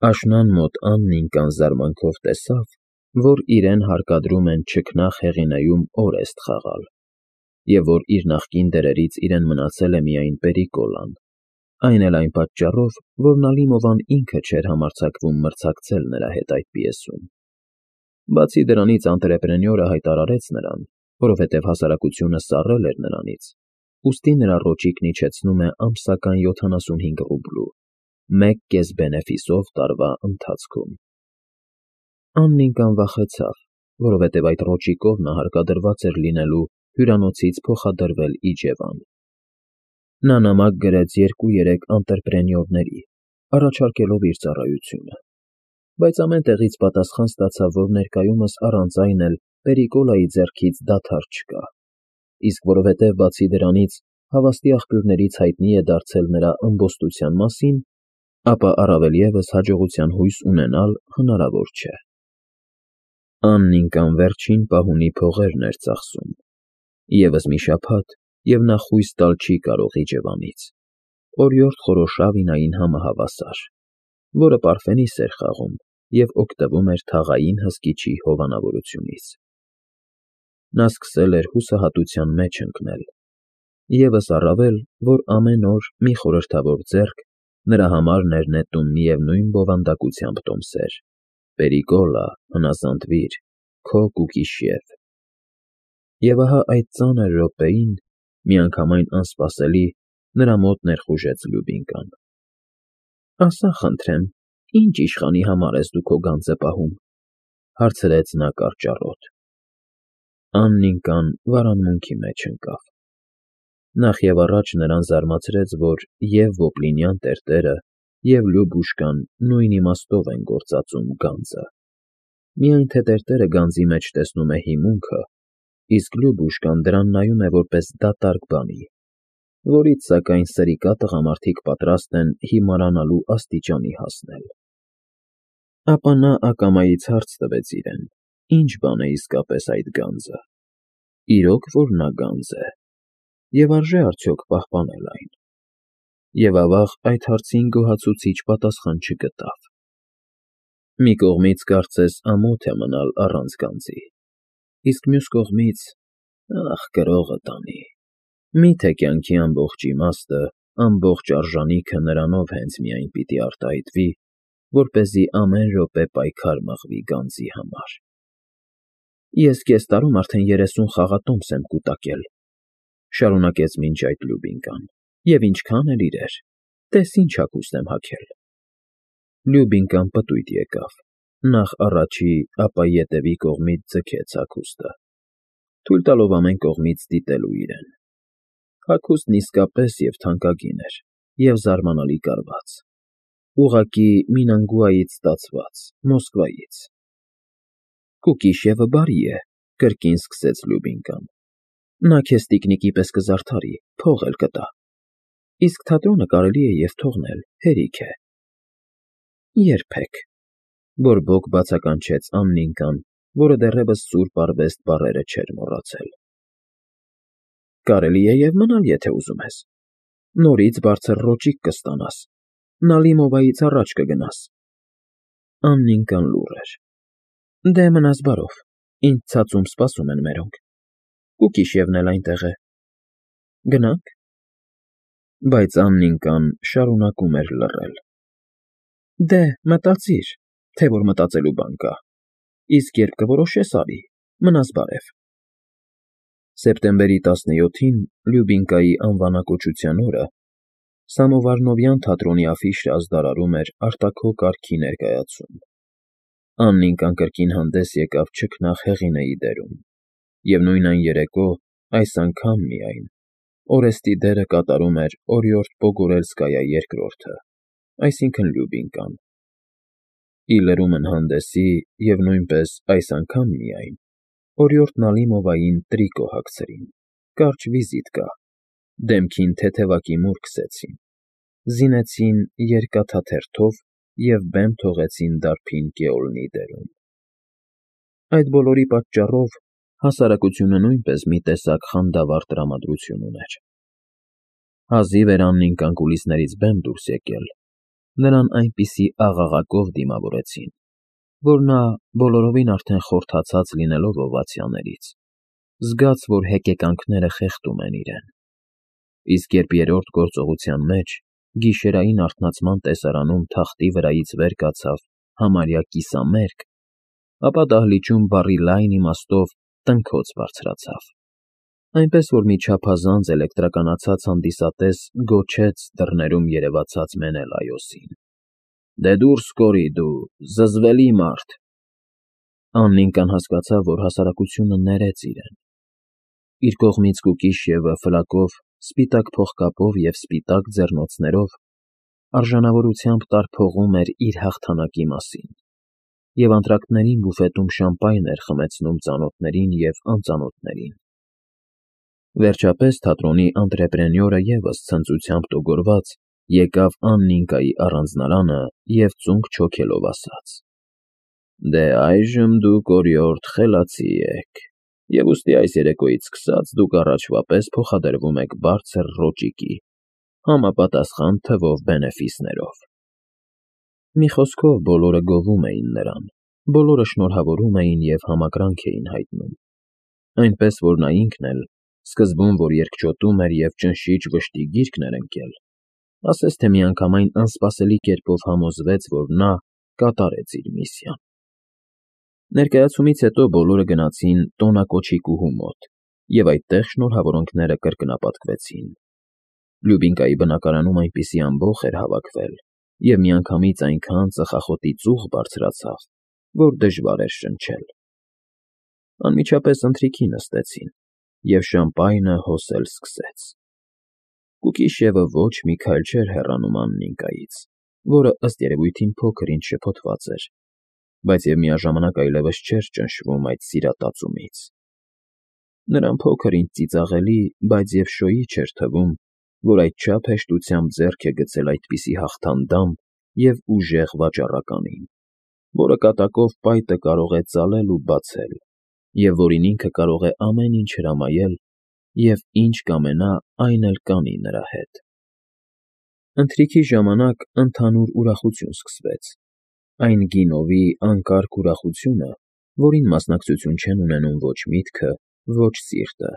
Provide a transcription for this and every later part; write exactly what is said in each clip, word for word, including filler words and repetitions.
Աշնան մոտ Աննիկան զարմանքով տեսավ, որ իրեն հարկադրում են չքնաղ հեղինեում օրեստ խաղալ, և որ իր նախկին դերերից իրեն մնացել է միայն Պերիկոլան, այն էլ այն պատճառով, որ Նալիմովան ինքը չէր համարձակվում մրցակցել նրա հետ այդ պիեսում. բացի դրանից անտրեպրենյորը հայտարարեց նրան, որովհետև հասարակությունը սառել էր նրանից, ուստի նրա ռոճիկն իջեցնում է ամսական յոթանասունհինգ ռուբլու, մեկ կես բենեֆիսով տարվա ընթացքում։ Աննիկան վախեցավ, որովհետև այդ ռոճիկով նա հարկադրված էր լինելու հյուրանոցից փոխադրվել Իջևան։ Նա նամակ գրեց երկու֊երեք անտրեպրենյորների, առաջարկելով իր ծառայությունը, բայց ամեն տեղից պատասխան ստացավ, որ ներկայումս առանց այն էլ Պերիկոլայի ձեռքից դադար չկա, իսկ որովհետև բացի դրանից հավաստի աղբյուրներից հայտնի է դարձել նրա ըմբոստության մասին, ապա առավել ևս հաջողության հույս ունենալ հնարավոր չէ։ Աննիկան վերջին պահունի փողերն էր ծախսում, ևս մի շաբաթ, և նա խույս տալ չի կարող Իջևանից, օրիորդ Խորոշավինային համահավասար, որը Պարֆենիս էր խաղում և օգտվում էր թաղային հսկիչի հովանավորությունից։ Նա սկսել էր հուսահատության մեջ ընկնել, ևս առավել, որ ամեն օր մի խորհրդավոր ձեռք նրա համար էր նետում միևնույն բովանդակությամբ տոմսեր. «Պերիկոլա, հնազանդվիր, քո Կուկիշև»։ Եվ ահա այդ ծանր րոպեին, միանգամայն անսպասելի, նրա մոտ ներխուժեց Լյուբինկան։ ֊ Ասա խնդրեմ, ի՞նչ իշխանի համար ես դու քո գանձը պահում,֊ հարցրեց նա կարճառոտ։ Աննիկան վարանմունքի մեջ ընկավ։ Նախևառաջ նրան զարմացրեց, որ և՛ Ոպլինյան տերտերը, և՛ Լյուբուշկան նույն իմաստով են գործածում գանձը, միայն թե տերտերը գանձի մեջ տեսնում է հիմունքը, իսկ Լյուբուշկան դրան նայում է որպես դատարկ բանի, որից, սակայն, սրիկա տղամարդիկ պատրաստ են հիմարանալու աստիճանի հասնել։ Ապա նա ակամայից հարց տվեց իրեն. ինչ բան է իսկապես այդ գանձը, իրո՞ք որ նա գանձ է, և արժե՞ արդյոք պահպանել այն։ Եվ ավաղ այդ հարցին գոհացուցիչ պատասխան չգտավ։ Մի կողմից կարծես ամոթ է մնալ առանց գանձի, իսկ մյուս կողմից՝ ախ, կրողը տանի, մի՞թե կյանքի ամբողջ իմաստը, ամբողջ արժանիքը նրանով հենց միայն պիտի արտահայտվի, որպեսզի ամեն րոպե պայքար մղվի գանձի համար։ Ես կես տարում արդեն երեսուն խաղատոմս եմ կուտակել,֊ շարունակեց մինչ այդ Լյուբինկան,֊ և ինչքա՜ն էլ իրեր, տես ինչ հագուստ եմ հագել։ Լյուբինկան պտույտ եկավ, նախ առաջի, ապա ետևի կողմից ձգեց հագուստը, թույլ տալով ամեն կողմից դիտելու իրեն։ Հագուստն իսկապես և թանկագին էր, և զարմանալի կարված, ուղղակի Մինանգուայից ստացված, Մոսկվայից։ ֊ Կուկիշևը բարի է,֊ կրկին սկսեց Լյուբինկան,֊ նա քեզ տիկնիկի պես կզարդարի, փող էլ կտա, իսկ թատրոնը կարելի է և թողնել, հերիք է։ ֊ Երբեք,֊ բորբոք բացականչեց Աննիկան, որը դեռևս սուրբ արվեստ բառերը չէր մոռացել։ ֊ Կարելի է և մնալ, եթե ուզում ես, նորից բարձր ռոճիկ կստանաս, Նալիմովայից առաջ կգնաս։ Աննիկան լուռ էր։ ֊ Դե, մնաս բարով, ինձ ցածում սպասում են մերոնք, Կուկիշևն էլ այնտեղ է։ Գնա՞նք։ Բայց Աննիկան շարունակում էր լռել։ ֊ Դե, մտածիր, թե որ մտածելու բան կա, իսկ երբ կորոշես, արի, մնաս բարև։ Սեպտեմբերի տասնյոթին, Լյուբինկայի անվանակոչության օրը, Սամովարնովյան թատրոնի աֆիշը ազդարարում էր արտաքո կարգի ներկայացում։ Աննիկան կրկին հանդես եկավ չքնաղ հեղինեի դերում, և նույն այն երեկո, այս անգամ միայն, Օրեստի դերը կատարում էր օրիորդ Պոգորելսկայա երկրորդը, այսինքն՝ Լյուբինկան։ Ի լրումն հանդեսի և նույնպես այս անգամ միայն, օրիորդ Նալիմովային տրիկո հագցրին, կարճ վիզիտկա, դեմքին թեթևակի մուր քսեցին, զինեցին երկաթաթերթով և բեմ թողեցին դարբին Գեոլնի դերում։ Այդ բոլորի պատճառով հասարակությունը նույնպես մի տեսակ խանդավառ տրամադրություն ուներ։ Հազիվ էր Աննիկան կուլիսներից բեմ դուրս եկել, նրան այնպիսի աղաղակով դիմավորեցին, որ նա, բոլորովին արդեն խորթացած լինելով օվացիաներից, զգաց, որ հեկեկանքները խեղդում են իրեն, իսկ երբ երրորդ գործողության մեջ, գիշերային արթնացման տեսարանում թախտի վրայից վեր կացավ համարյա կիսամերկ, ապա դահլիճում բառի լայն իմաստով տնքոց բարձրացավ, այնպես որ մի չափազանց էլեկտրականացած հանդիսատես գոչեց դռներում երևացած Մենելայոսին. «Դե դուրս կորի դու, զզվելի մարդ»։ Աննիկան հասկացավ, որ հասարակությունը ներեց իրեն։ Իր կողմից Կուկիշևը ֆլակով, սպիտակ փողկապով և սպիտակ ձեռնոցներով արժանավորությամբ տարփողում էր իր հաղթանակի մասին և անտրակտներին բուֆետում շամպայն էր խմեցնում ծանոթներին և անծանոթներին։ Վերջապես թատրոնի անտրեպրենյորը ևս ցնծությամբ տոգորված եկավ Աննիկայի առանձնարանը և ծունկ չոքելով ասաց. «Դե այժմ դուք օրիորդ խելացի եք, և ուստի այս երեկոյից սկսած դուք առաջվա պես փոխադրվում եք բարձր ռոճիկի, համապատասխան թվով բենեֆիսներով»։ Մի խոսքով, բոլորը գովում էին նրան, բոլորը շնորհավորում էին և համակրանք էին հայտնում, այնպես որ նա ինքն էլ, սկզբում, որ երկչոտում էր և ճնշիչ վշտի գիրկն էր ընկել, ասես թե միանգամայն անսպասելի կերպով համոզվեց, որ նա կատարեց իր միսիան։ Ներկայացումից հետո բոլորը գնացին տոնակոչիկուհու մոտ, և այդտեղ շնորհավորանքները կրկնապատկվեցին։ Լյուբինկայի բնակարանում այնպիսի ամբոխ էր հավաքվել, և միանգամից այնքան ծխախոտի ծուխ բարձրացավ, որ դժվար էր շնչել։ Անմիջապես ընթրիքի նստեցին, և շամպայնը հոսել սկսեց։ Կուկիշևը ոչ մի քայլ չէր հեռանում Աննիկայից, որը, ըստ երևույթին, փոքր-ինչ շփոթված էր, բայց և միաժամանակ այլևս չէր ճնշվում այդ սիրատածումից։ Նրան փոքր-ինչ ծիծաղելի, բայց և շոյի չէր թվում, որ այդչափ հեշտությամբ ձեռք է գցել այդպիսի հաղթանդամ և ուժեղ վաճառականին, որը կատակով պայտը կարող է ծալել ու բացել, և որին ինքը կարող է ամեն ինչ հրամայել և ինչ կամենա, այն էլ կանի նրա հետ։ Ընթրիքի ժամանակ ընդհանուր ուրախություն սկսվեց, այն գինովի, անկարգ ուրախությունը, որին մասնակցություն չեն ունենում ոչ միտքը, ոչ սիրտը,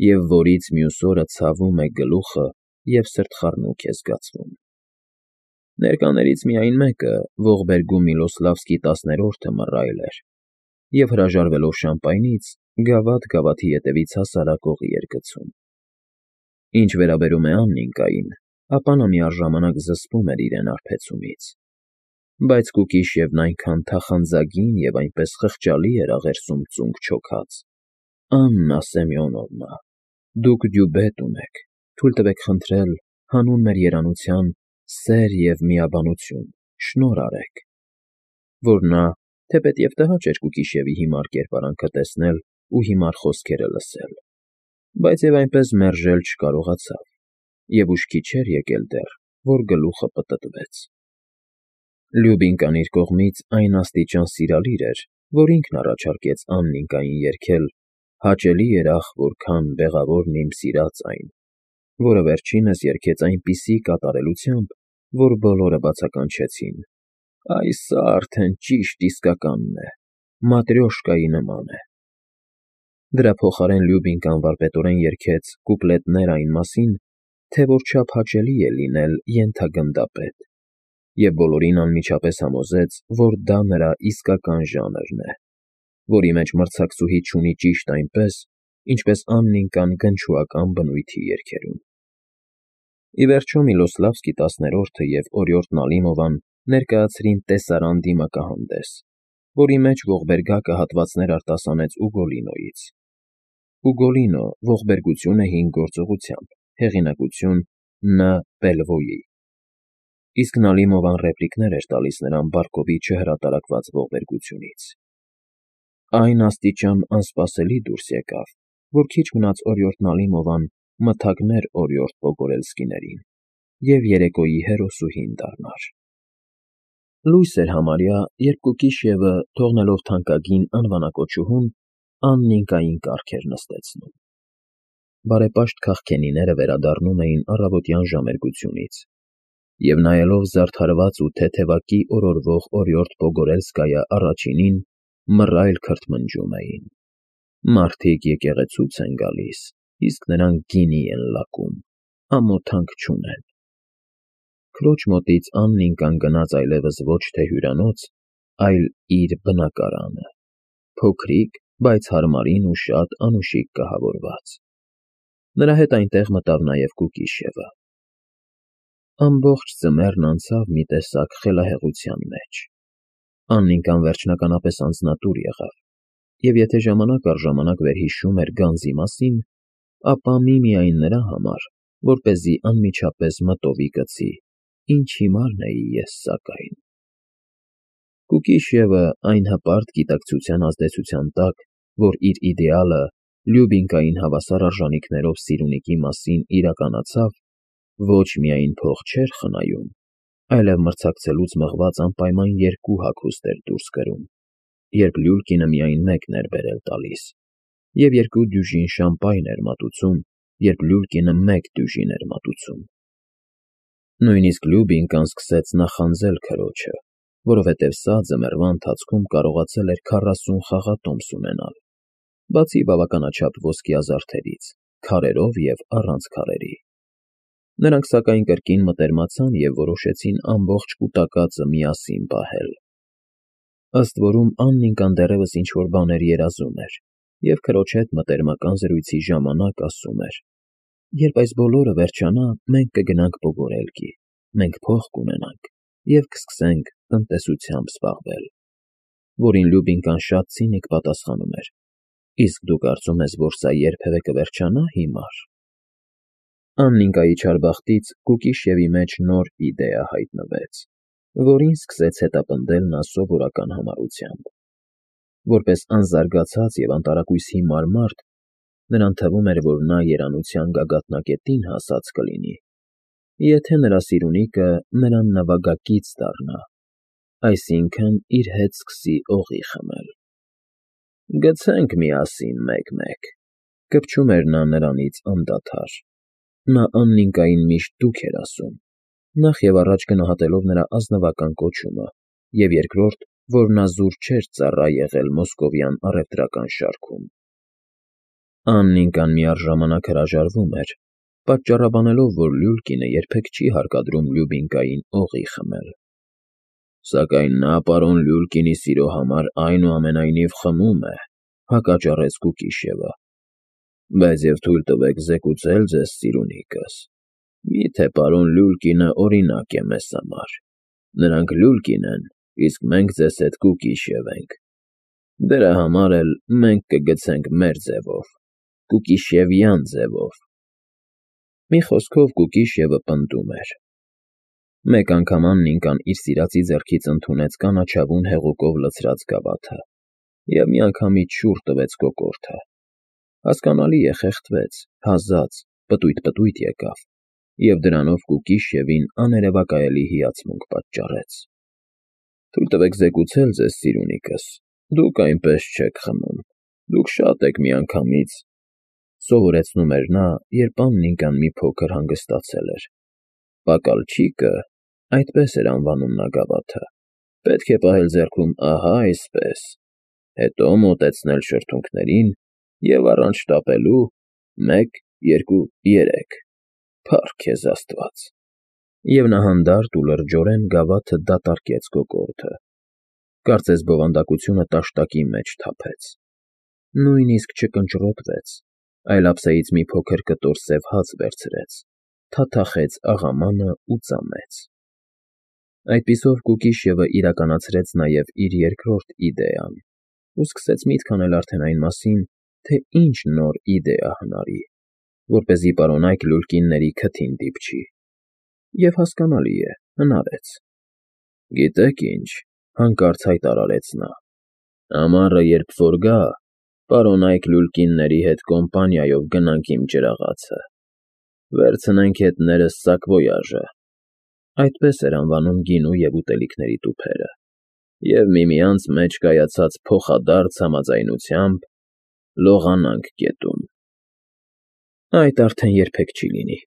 և որից մյուս օրը ցավում է գլուխը և սրտխառնոք է զգացվում։ Ներկաներից միայն մեկը, ողբերգում Միլոսլավսկի տասներորդը մռայլ էր և, հրաժարվելով շամպայնից, գավաթ գավաթի ետևից հասարակողի էր գցում։ Ինչ վերաբերում է Աննիկային, ապա նա միաժամանակ զսպում էր իրեն արբեցումից, բայց Կուկիշևն այնքան թախանձագին և այնպես խղճալի էր աղերսում ծունկ չոքած. «Աննա Սեմյոնովնա, դուք դյուբետ ունեք, թույլ տվեք խնդրել, հանուն մեր երանության, սեր և միաբանություն, շնորհ արեք», որ նա, թեպետ տհաճ էր Կուկիշևի հիմար կերպարանքը տեսնել ու հիմար խոսքերը լսել, բայց և այնպես մերժել չկարողացավ, և ուշքի չէր եկել դեռ, որ գլուխը պտտվեց։ Լյուբինկան իր կողմից այն աստիճան սիրալիր էր, որ ինքն առաջարկեց Աննիկային երգել «Հաճելի երախ որքան բեղավորն իմ սիրած այն», որը վերջինս երգեց այնպիսի կատարելությամբ, որ բոլորը բացականչեցին. «Այ սա արդեն ճիշտ իսկականն է, Մատրյոշկայի նման է»։ Դրա փոխարեն Լյուբինկան վարպետորեն երգեց կուպլետներ այն մասին, թե որչափ հաճելի է լինել ենթագնդապետ, և բոլորին անմիջապես համոզեց, որ դա նրա իսկական ժանրն է, որի մեջ մրցակցուհի չունի ճիշտ այնպես, ինչպես Աննիկան գնչուական բնույթի երգերում։ Ի վերջո Միլոսլավսկի տասներորդը և օրիորդ Նալիմովան ներկայացրին տեսարան դիմակահանդես, որի մեջ ողբերգակը հատվածներ արտասանեց Ուգոլինոյից։ Ուգոլինո ողբերգությունը հին գործողությամբ, հեղինակություն Ն. Պելվոյի, իսկ Նալիմովան ռեպլիկներ էր տալիս նրան Բարկովի չհրատարակված ողբերգությունից։ Այն աստիճան անսպասելի դուրս եկավ, որ քիչ մնաց օրիորդ Նալիմովան մթագներ օրիորդ Պոգորելսկիներին և երեկոյի հերոսուհին դառնար։ Լույս էր համարյա, երբ Կուկիշևը, թողնելով թանկագին անվանակոչուհուն, Աննիկային կառք էր նստեցնում։ Բարեպաշտ քաղքենիները վերադառնում էին առավոտյան ժամերգությունից, Եվ նայելով զարդարված ու թեթևակի օրորվող օրիորդ Պոգորելսկայա առաջինին, մռայլ քրթմնջում էին. «Մարդիկ եկեղեցուց են գալիս, իսկ նրանք գինի են լակում, ամոթանք չունեն»։ Քրոջ մոտից Աննիկան գնաց այլևս ոչ թե հյուրանոց, այլ իր բնակարանը, փոքրիկ, բայց հարմարին ու շատ անուշիկ կահավորված։ Նրա հետ այնտեղ մտավ նաև Կուկիշևը։ Ամբողջ ձմեռն անցավ մի տեսակ խելահեղության մեջ։ Աննիկան վերջնականապես անձնատուր եղավ, և եթե ժամանակ առ ժամանակ վերհիշում էր գանձի մասին, ապա միմիայն նրա համար, որպեսզի անմիջապես մտովի գցի. «Ինչ հիմարն էի ես, սակայն»։ Կուկիշևը այն հպարտ գիտակցության ազդեցության տակ, որ իր իդեալը Լյուբինկային հավասար արժանիքներով սիրունիկի մասին իրականացավ, ոչ միայն փող չէր խնայում, այլև մրցակցելուց մղված անպայման երկու հագուստ էր դուրս կրում, երբ Լյուլկինը միայն մեկն էր բերել տալիս, և երկու դյուժին շամպայն էր մատուցում, երբ Լյուլկինը մեկ դյուժին էր մատուցում։ Նույնիսկ Լյուբինկան սկսեց նախանձել քրոջը, որովհետև սա ձմեռվա ընթացքում կարողացել էր քառասուն խաղատոմս ունենալ, բացի բավականաչափ ոսկեազարդերից, քարերով և առանց քարերի։ Նրանք սակայն կրկին մտերմացան և որոշեցին ամբողջ կուտակածը միասին պահել։ Ըստ որում Աննիկան դեռևս ինչ-որ բաներ երազում էր և քրոջ հետ մտերմական զրույցի ժամանակ ասում էր. «Երբ այս բոլորը վերջանա, մենք կգնանք Պոգորելկի, մենք փող կունենանք և կսկսենք տնտեսությամբ զբաղվել»։ Որին Լյուբինկան շատ ցինիկ պատասխանում էր. «Իսկ դու կարծում ես, որ սա երբևէ կվերջանա, հիմար»։ Աննիկայի չարբախտից Կուկիշևի մեջ նոր իդեա հայտնվեց, որին սկսեց հետապնդել նա սովորական համառությամբ։ Որպես անզարգացած և անտարակույս հիմար մարդ, նրան թվում էր, որ նա երանության գագաթնակետին հասած կլինի, եթե նրա սիրունիկը նրան նվագակից դառնա, այսինքն՝ իր հետ սկսի օղի խմել։ «Գցենք միասին մեկ֊մեկ», կպչում էր նա նրանից անդադար։ Նա Աննիկային միշտ դուք էր ասում, նախ և առաջ գնահատելով նրա ազնվական կոչումը, և երկրորդ, որ նա զուր չէր ծառա եղել մոսկովյան առևտրական շարքում։ Աննիկան միառժամանակ հրաժարվում էր, պատճառաբանելով, որ Լյուլկինը երբեք չի հարկադրում Լյուբինկային օղի խմել։ «Սակայն նա պարոն Լյուլկինի սիրո համար այնուամենայնիվ խմում է», հակաճառեց Կուկիշևը։ «Բայց և թույլ տվեք զեկուցել ձեզ, սիրունիկս, մի՞թե պարոն Լյուլկինը օրինակ է մեզ համար։ Նրանք Լյուլկին են, իսկ մենք ձեզ հետ Կուկիշև ենք։ Դրա համար էլ մենք կգցենք մեր ձևով, կուկիշևյան ձևով»։ Մի խոսքով Կուկիշևը պնդում էր։ Մեկ անգամ Աննիկան իր սիրածի ձեռքից ընդունեց կանաչավուն հեղուկով լցրած գավաթը և միանգամից շուռ տվեց կոկորդը։ Հասկանալի է, խեղդվեց, հազաց, պտույտ֊պտույտ եկավ, և դրանով Կուկիշևին աներևակայելի հիացմունք պատճառեց։ «Թույլ տվեք զեկուցել ձեզ, սիրունիկս, դուք այնպես չեք խմում, դուք շատ եք միանգամից», սովորեցնում էր նա, երբ Աննիկան մի փոքր հանգստացել էր։ «Պակալչիկը» (այդպես էր անվանում նա գավաթը) պետք է պահել ձեռքում ահա այսպես, հետո մոտեցնել շրթունքներին և առանց շտապելու մեկ, երկու, երեք, փառք քեզ Աստված։ Եվ նա հանդարտ ու լրջորեն գավաթը դատարկեց կոկորդը, կարծես բովանդակությունը տաշտակի մեջ թափեց։ Նույնիսկ չկնճռոտվեց, այլ ափսեից մի փոքր կտոր սև հաց վերցրեց, թաթախեց աղամանը ու ծամեց։ Այդպիսով Կուկիշևը իրականացրեց նաև իր երկրորդ իդեան ու սկսեց միտք անել արդեն այն մասին, թե ինչ նոր իդեա հնարի, որպեսզի պարոնայք Լյուլկինների քթին դիպչի։ Եվ հասկանալի է, հնարեց։ «Գիտեք ինչ,֊ հանկարծ հայտարարեց նա,֊ ամառը երբ որ գա, պարոնայք Լյուլկինների հետ կոմպանիայով գնանք իմ ջրաղացը, վերցնենք հետներս սակվոյաժը (այդպես էր անվանում գինու և ուտելիքների տուփերը) և միմյանց մեջ կայացած փոխադարձ համաձայնությամբ լողանանք գետում»։ «Այդ արդեն երբեք չի լինի,֊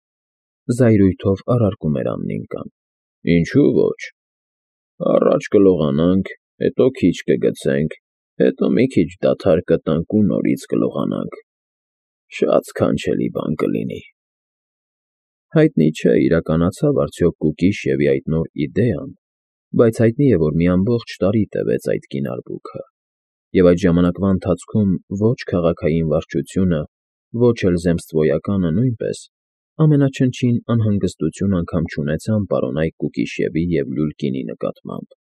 զայրույթով առարկում էր Աննիկան։ Ինչու ոչ։ Առաջ կլողանանք, հետո քիչ կգցենք, հետո մի քիչ դադար կտանք ու նորից կլողանանք, շատ սքանչելի բան կլինի։ Հայտնի չէ իրականացավ արդյոք Կուկիշևի այդ նոր իդեան, բայց հայտնի է, որ մի ամբողջ տարի տևեց այդ կին արբուքը, և այդ ժամանակվա ընթացքում ոչ քաղաքային վարչությունը, ոչ էլ zemstvոյականը նույնպես ամենաչնչին անհանգստություն անգամ չունեցան պարոնայք Կուկիշևի և լուլ գինի նկատմամբ։